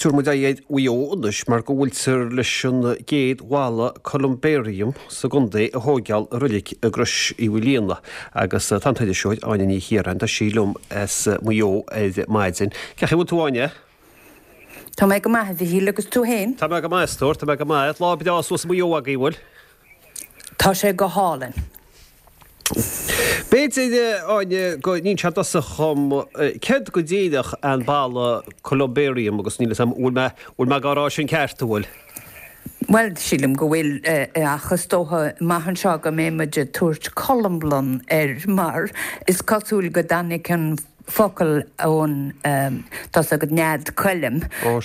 Tabharfaidh muid aghaidh ar Mhaigh Eo anois mar go bhfuiltear leis an gcéad bhalla columbarium sa gcontae a thóigeáil i reilig i gCrois Uí Mhaoilíona agus tá an t-iriseoir Áine Ní Chiaráin, tá sí liom as Maigh Eo ar maidin. Cén chaoi a bhfuil tú Áine? Tá mé go maith a Mhichíl agus tú féin? Tá mé go maith a stór, tá mé go maith. Lá breá suas i Maigh Eo agaibh, an bhfuil? Tá sé go hálainn. B'fhéidir, Áine, go n-inseofá i dtosach dhom céard go díreach an balla columbarium agus níl 'fhios a'm bhfuil mé, bhfuil mé dhá rá sin ceart, an bhfuil? Bhuel, sílim go bhfuil, ach is dócha amach anseo go mbeidh muid ag tabhairt colmblann air mar is cosúil go dtáinig an focal ón, tá's agat, nead coilm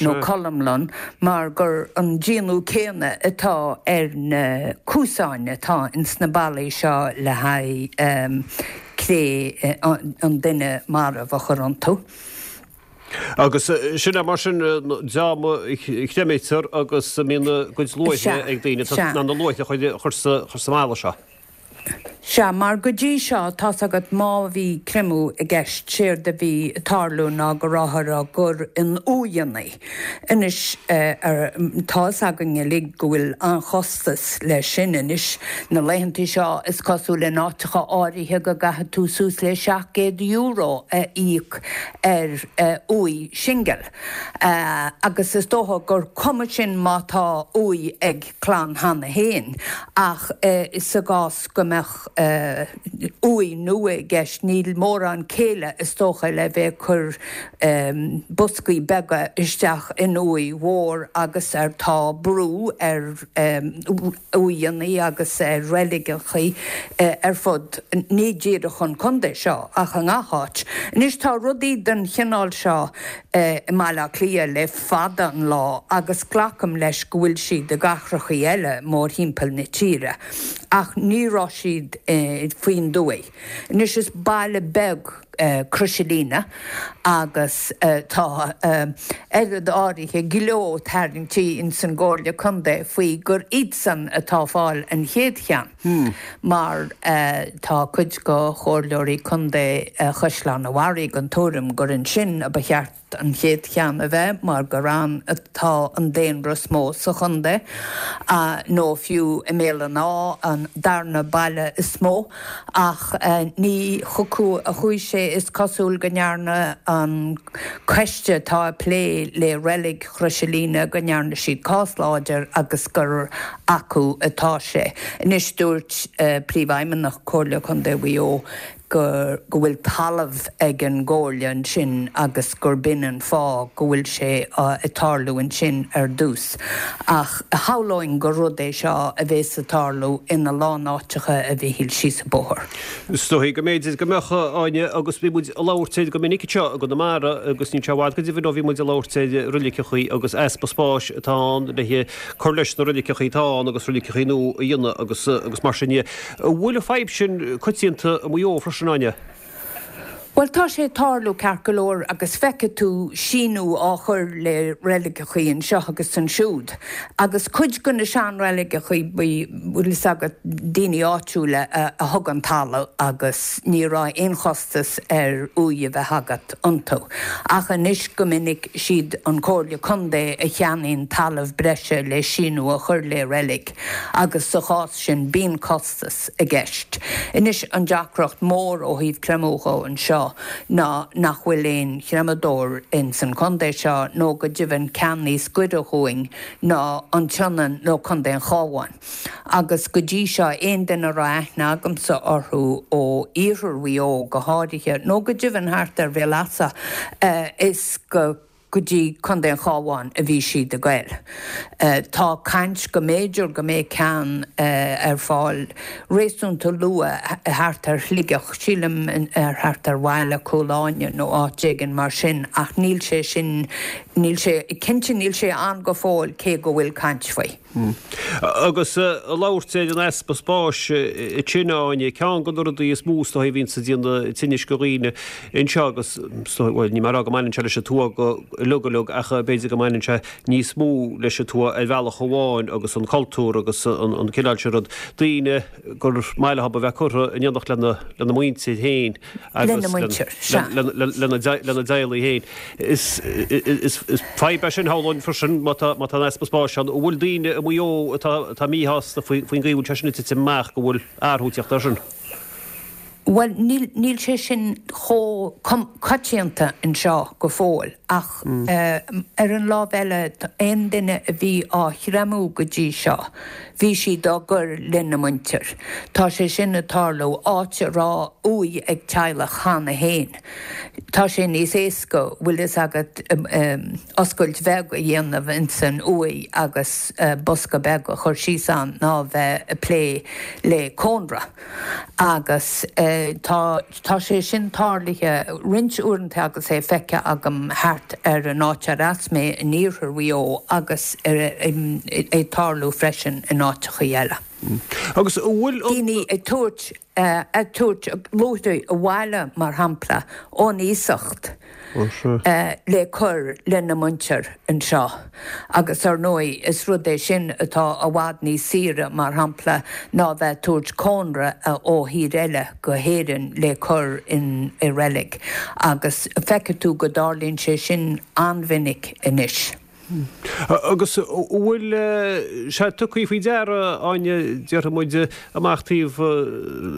nó colmlann mar gur an déanamh céanna atá ar na cuasáin atá ins na ballaí seo le haghaidh cré an duine marbh a chur iontu. Agus sin é mar sin an dream a chreimítear agus a mbíonn a gcuid luaithre ag daoine, ná na luaithre a chur sa mballa seo. Sea, mar go dtí seo, tá's agat, má bhí creimeadh i gceist, séard a bhí ag tarlú ná go rabhthar á gcur in uaigheanna. Anois, tá 'fhios againn uilig go bhfuil an-chostas leis sin anois. Na laethantaí seo, is cosúil in áiteacha áirithe go gcaithfidh tú suas le €700 a íoc ar uaigh singil. Agus is dócha gur cuma sin má tá uaigh ag clann cheana féin, ach sa gcás go mbeadh uaigh nua i gceist, níl mórán céille is dócha le bheith ag cur boscaí beaga isteach in uaigh mhór agus ar tá brú ar uaigheanna agus ar reiligeachaí ar fud ní díreach an contae seo ach i ngach áit. Anois tá rudaí den chineál seo i mBaile Átha Cliath le fada an lá agus glacaim leis go bhfuil siad i gcathrachaí eile mórthimpeall na tíre ach ní raibh siad faoin dtuaith. Anois is baile beag Crois an Líne agus tá oiread áirithe gleo tarraingtí ins an gComhairle Contae faoi gur iadsan atá ag fáil an chéad cheann. Mar tá cuid de chomhairleoirí contae Chaisleán an Bharraigh den tuairim gur ansin a ba cheart an chéad cheann a bheith mar gur ann atá an daonra is mó sa chontae, nó fiú i mBéal an Átha, an darna baile is mó. Ach ní chucu a chuaigh sé, is cosúil go ndearna an coiste atá ag plé le reilig Chrois an Líne go ndearna siad cás láidir agus gur acu atá sé. Anois dúirt Príomhfheidhmeannach Comhairle Contae Mhaigh Eo go go bhfuil talamh ag an gComhairle ansin agus gur b'in an fáth go bhfuil sé ag tarlú ansin ar dtús. Ach shamhlóinn gur rud é seo a bhéas ag tarlú ina lán áiteacha a Mhichíl síos an bóthar. Is dóigh go mb'fhéidir go mbeadh, Áine, agus bhí muid ag labhairt air go minic anseo i gConamara agus níl sé i bhfad go deimhin ó bhí muid ag labhairt ar reiligeachaí agus easpa spáis atá ann le cur leis na reiligeachaí atá ann agus reiligeachaí nua a dhéanamh agus agus mar sin de. An bhfuil an fadhb sin coitianta i Maigh Eo freisin, Áine? Bhuel, tá sé ag tarlú ceart go leor agus feicfidh tú síniú á chur le reiligeachaí anseo agus ansiúd. Agus cuid de na seanreiligeachaí, bhfuil fhios agat, daoine áitiúla a thug an talamh agus ní raibh aon chostas ar uaigh a bheith agat iontu. Ach anois go minic siad an Comhairle Contae a cheannaíonn talamh breise le síniú a chur le reilig agus sa chás sin bíonn costas i gceist. Anois an deacracht mór ó thaobh creimeadh dhó anseo ná nach bhfuil aon chreimeadóir ins an contae seo nó go deimhin ceann níos gaire dhúinn ná an tSionainn nó Contae an Chabháin. Agus go dtí seo aon duine a raibh aithne agamsa orthu ó iarthar Mhaigh Eo go háirithe nó go deimhin thart ar Bhéal Easa is go go dtí Contae an Chabháin a bhí siad ag goil. Tá caint go mb'fhéidir go mbeidh ceann ar fáil réasúnta luath thart ar Shligeach, sílim ar thart ar bhaile Chúil Áine nó áit éigin mar sin ach níl sé sin, níl sé, cinnte níl sé ann go fóill cé go bhfuil caint faoi. Agus ag labhairt ar an easpa spáis ansin, a Áine, ceann de na rudaí is mó is dóigh a bhíonns ag déanamh tinnis do dhaoine anseo agus, bhuel, níl mé ag rá go mbaineann sé leis an tuath go uilig uilig ach b'fhéidir go mbaineann sé níos mó leis an tuath ar bhealach amháin agus an cultúr agus an cineál sin rud, daoine gur maith leo a bheith curtha in éineacht lena muintir féin agus lena dteaghlaigh féin. Is fadhb é sin, shamhlóinn freisin, má tá an easpa spáis ann. An bhfuil daoine i Maigh Eo atá míshásta faoin gcaoi a bhfuil sé sin ag titim amach, go bhfuil athrú ag teacht air sin? Bhuel, níl sé sin chomh coitianta anseo go fóill ach ar an lámh eile, aon duine a bhí á chreamú go dtí seo, bhí siad á gcur lena muintir. Tá sé sin ag tarlú áit a raibh uaigh ag teaghlach cheana féin. Tá sé níos éasca, bhfuil fhios agat, oscailt bheag a dhéanamh ins an uaigh agus bosca beag a chur síos ann ná bheith ag plé le cónra. Agus tá, tá sé sin tarlaithe roinnt uaireanta agus é feicthe agam thart ar an áit ar as mé in iarthar Mhaigh Eo agus é ag tarlú freisin in áiteachaí eile. Agus an bhfuil an. Daoine ag tabhairt. ag tabhairt luaithrí abhaile, mar shampla, ón iasacht le cur lena muintir anseo. Agus ar ndóigh, is rud é sin atá i bhfad níos saoire, mar shampla, ná bheith ag tabhairt cónra ó thír eile go hÉirinn le cur in i reilig. Agus feicfidh tú go dtarlaíonn sé sin an-mhinic anois. Agus an bhfuil sé tugtha faoi deara, Áine, déarfaidh muid, amach taobh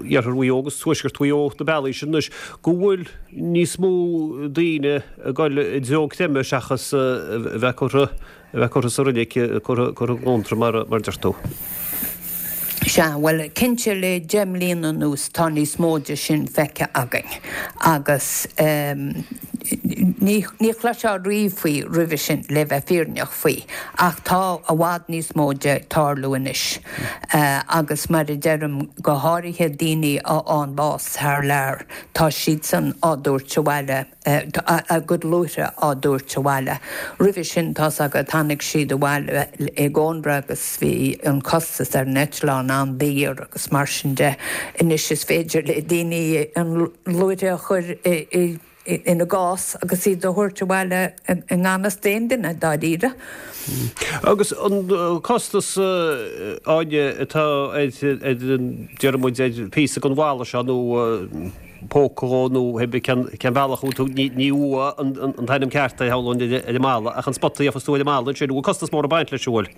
iarthar Mhaigh Eo agus tuaisceart Mhaigh Eo, na bealaí sin anois, go bhfuil níos mó daoine ag dul i dtreo creimeadh seachas a bheith curtha, a bheith curtha sa reilig, curtha i gcónra mar a deir tú? Sea, bhuel, cinnte le 10 mbliana anuas tá níos mó de sin feicthe againn agus ní chloisfeá riamh faoi roimhe sin, le bheith fírinneach faoi, ach tá i bhfad níos mó de ag tarlú anois agus mar a deirim, go háirithe daoine a fhaigheann bás thar lear, tá siadsan á dtabhairt abhaile. a gcuid luaithre á dtabhairt abhaile. Roimhe sin, tá's agat, tháinig siad abhaile i gcónra agus bhí an costas ar an eitleán an-daor agus mar sin de. Anois is féidir le daoine an luaithre a chur ina gcás agus iad a thabhairt abhaile i ngan fhios d'aon duine, dáiríre. Agus an costas, Áine, atá ar, déarfaidh muid, ar phíosa den bhalla seo nó, póca dhó nó pé cén bealach a bhfuil tú, ní uaigh an t-ainm ceart é, shamhlóinn, ar an mballa, ach an spota a gheofas tú ar an mballa ansin, an bhfuil costas mór ag baint leis, an bhfuil?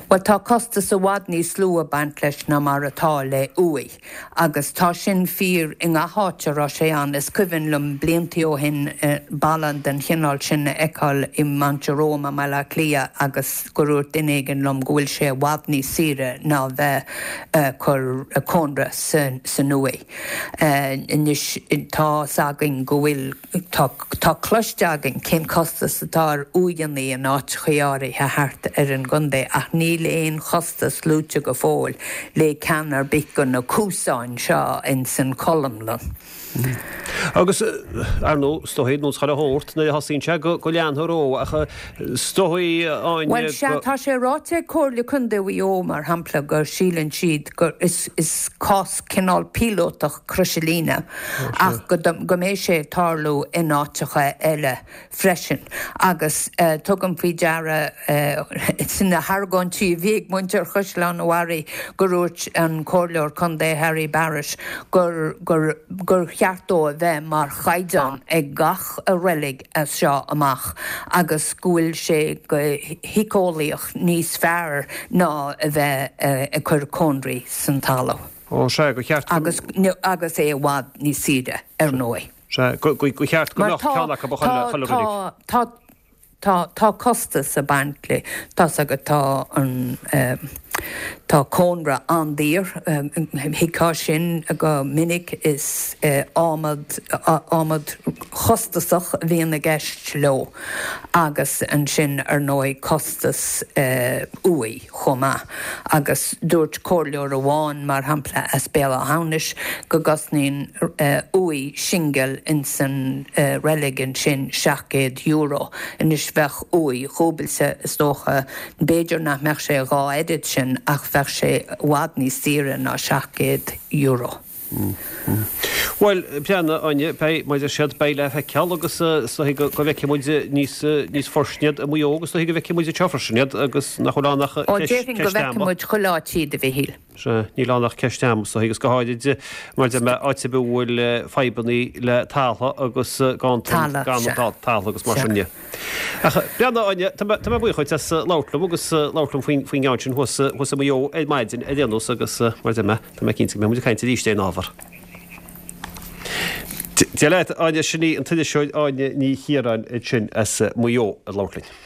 Bhuel, tá costas i bhfad níos lú ag baint leis ná mar atá le uaigh, agus tá sin fíor i ngach áit a raibh sé ann. Is cuimhin liom bliantaí ó shin balla den chineál sin a fheiceáil i Mount Jerome i mBaile Átha Cliath agus gur dhúirt duine éigin liom go bhfuil sé i bhfad níos saoire ná bheith ag cur cónra san uaigh. Anois tá's againn go bhfuil, tá, tá cloiste againn cén costas atá ar uaigheanna in áiteachaí áirithe thart ar an gcontae ach níl aon chostas luaite go fóill le ceann ar bith de na cuasáin seo ins an cholmlann. Agus, ar ndóigh, is dóigh, nós chuile shórt, nuair a thosaíonn sé go leanfar ó, ach is dóigh, Áine, Bhuel, sea, tá sé ráite ag Comhairle Contae Mhaigh Eo, mar shampla, go síleann siad gur is is cás cineál píolótach Crois an Líne ach go go mbeidh sé ag tarlú in áiteacha eile freisin. Agus tugaim faoi deara sna hargóintí a bhí ag muintir Chaisleán an Bharraigh gur dhúirt an Comhairleoir Contae Harry Barrett gur gur gur cheart dó a bheith mar chaighdeán ag gach reilig as seo amach agus go bhfuil sé go héiceolaíoch níos fearr ná a bheith ag cur cónraí san talamh. Ó sea, gur cheart go. Agus agus é i bhfad níos saoire, ar ndóigh. Sea, gur cheart go mbeadh ceann acu ag chuile reilig. Tá, tá, tá costas ag baint le, tá's agat, tá an, tá. Tá cónra an-daor, thuigfeá sin go minic, is adhmad, adhmad chostasach a bhíonn i gceist leo agus ansin ar ndóigh costas uaigh chomh maith. Agus dúirt comhairleoir amháin, mar shampla, as Béal Átha hAmhnais go gcosnaíonn uaigh singil insan reilig ansin €700. Anois bheadh uaigh dhúbailte is dócha, B'fhéidir nach mbeadh sé a dhá oiread sin ach bheadh sé i bhfad níos saoire ná €700. Bhuel, breathnaigh, a Áine, beidh, mar a deir siad, beidh le feiceáil agus is dóigh go bhfeicfidh muid níos, níos fairsine iad i Maigh Eo agus is dóigh go bhfeicfidh muid anseo freisin iad agus nach bhfuil ann ach Ó, ceist, déarfainn go ceist bhfeicfidh ama. muid chuile áit iad, a Mhichíl. Sea, níl ann ach ceist ama is dóigh agus go háirid mar a deir mé, áit ar bith a bhfuil fadhbannaí le talamh agus gan, Talamh, gan sea. talamh agus mar sin de. Ach breathnaigh, a Áine, tá mé, tá mé buíoch dhuit as labhairt liom agus labhairt liom faoin, faoin gceann sin thuas, thuas i Maigh Eo ar maidin ar aon nós agus mar a deir mé, tá mé cinnte go mbeidh muid ag caint arís ar an ábhar. Dia leat, Áine, sin í an t-iriseoir Áine Ní Chiaráin ansin as Maigh Eo ag labhairt linn.